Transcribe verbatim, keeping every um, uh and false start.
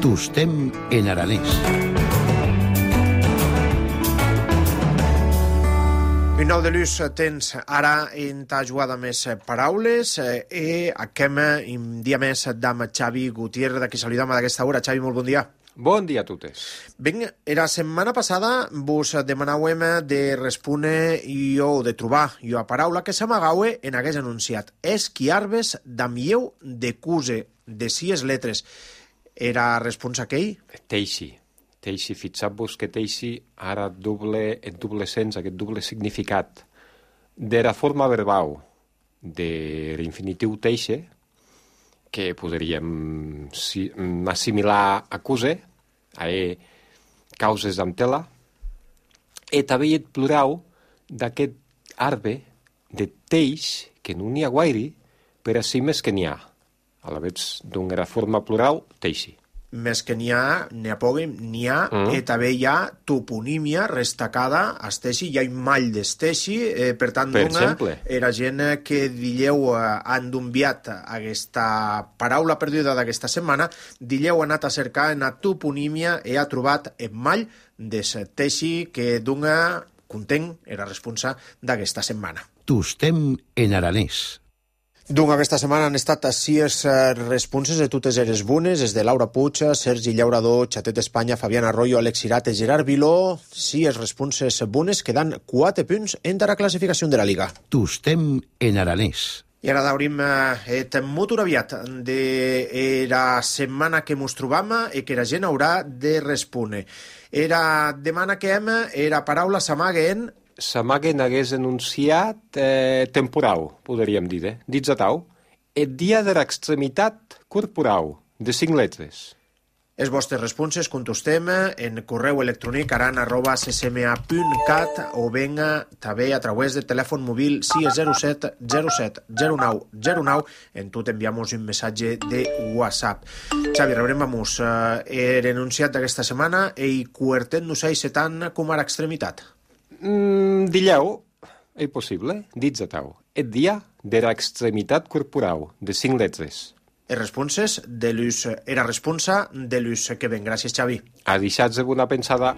Tostem en aranès. Vinol de Luz, tens ara en ta jugada més paraules e aquem un dia més d'am Xavi Gutiérrez, de qui saludam d'aquesta hora. Xavi, molt bon dia. Bon dia a totes. Ben, la setmana passada vos demanàvem de respondre o de trobar una paraula que s'amagaue en hagués anunciat. Esquiarbes d'amieu de cuse, de sis letres. Era responsa aquell? Teixi. Teixi, fixat-vos que teixi ara doble, en doble sens, aquest doble significat. De la forma verbal de l'infinitiu teixe, que podríem si, assimilar a cuse, a e, causes amb tela, i també el plural d'aquest arbre de teix, que no n'hi ha guaire, per a si més que n'hi ha. A la vegada d'una forma plural, teixi. Més que n'hi ha, n'hi ha poc, n'hi ha, mm. i també hi ha toponímia restacada a Esteixi, hi ha un mall d'Esteixi, eh, per tant, per dona, era gent que dilleu eh, han d'enviat aquesta paraula perduda d'aquesta setmana, dilleu ha anat a cercar en la toponímia i ha trobat el mall d'Esteixi que dona content era responsa d'aquesta setmana. Tostem en aranès. Doncs aquesta setmana han estat sis responses de totes eres bones, des de Laura Puig, Sergi Llaurador, Xatet Espanya, Fabián Arroyo, Alex Irate, Gerard Viló. Sis responses bones que dan quatre punts entre la classificació de la Liga. Tostem en aranès. I ara daurim et molt aviat de la setmana que mos trobam i que la gent haurà de respondre. Era demana que hem, era paraula s'amaga en... S'amaguen hagués enunciat eh, temporal, podríem dir, eh? Dits a tau, el dia de l'extremitat corporal, de cinc letres. Les vostres responses contestem en correu electrònic aran arroba ccma punt cat o venga també a través del telèfon mòbil sis zero set zero set zero nou zero nou. En tot enviamos un missatge de WhatsApp. Xavi, rebrem vamos eh, l'enunciat d'aquesta setmana i cuertent-nos a setan com a l'extremitat. Mm, dilleu, és possible, dits a tau, el dia de l'extremitat corporal, de cinc letres. Les responses de l'ús, era responsa de l'ús que ven. Gràcies, Xavi. A deixar-vos una pensada.